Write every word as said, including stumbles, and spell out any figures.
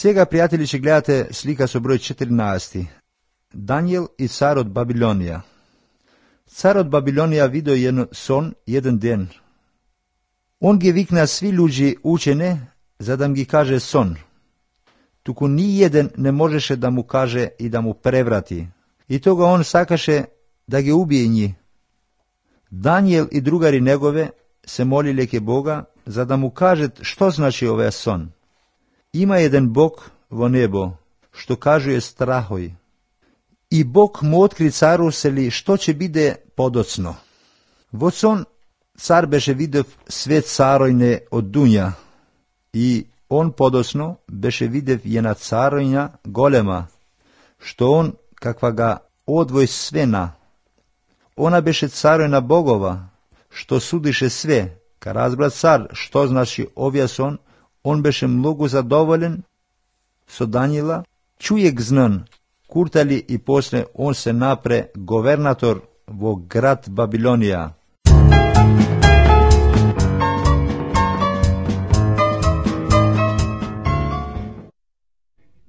Сега, пријатели, ќе гледате слика со број четирнаесет. Данијел и царот Бабилонија. Царот Бабилонија видео еден сон еден ден. Он ги викна сви луѓе учене за да ги каже сон. Туку ни еден не можеше да му каже и да му преврати. И тога он сакаше да ги убие нji. Данијел и другари негове се молиле ке Бога за да му кажат што значи овој сон. Има еден Бог во небо, што кажуе страхој. И Бог му откри цару сели што ќе биде подоцно. Во сон цар беше видев све царојне од дуња, и он подоцно беше видев една царојна голема, што он каква га одвој свена. Она беше царојна богова, што судише све. Ка разбра цар што значи овој сон, он беше многу задоволен со Данијела, чујек знан, куртали и после он се напре говернатор во град Бабилонија.